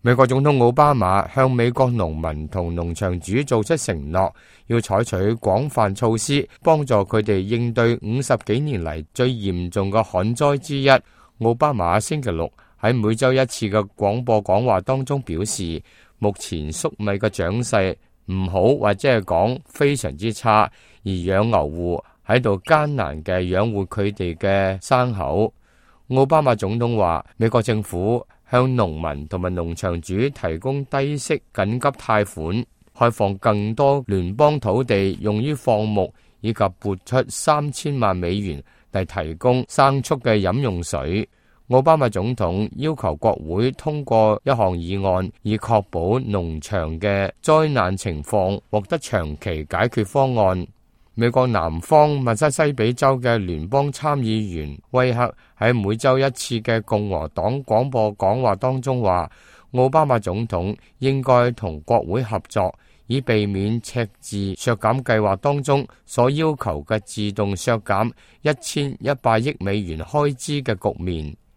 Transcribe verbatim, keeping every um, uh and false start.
美國總統奧巴馬向美國農民同農場主做出承諾，要採取廣泛措施，幫助佢哋應對五十幾年嚟最嚴重嘅旱災之一。奧巴馬星期六喺每週一次嘅廣播講話當中表示，目前粟米嘅長勢唔好，或者係講非常之差，而養牛戶喺度艱難嘅養活佢哋嘅牲口。奧巴馬總統話，美國政府向農民同埋農場主提供低息緊急貸款，開放更多聯邦土地用於放牧，以及撥出三千萬美元嚟提供牲畜嘅飲用水。奧巴馬總統要求國會通過一項議案，以確保農場嘅災難情況獲得長期解決方案。美國南方密西西比州嘅聯邦參議員威克喺每周一次嘅共和黨廣播講話當中話，奧巴馬總統應該同國會合作，以避免赤字削減計劃當中所要求嘅自動削減一千一百億美元開支嘅局面。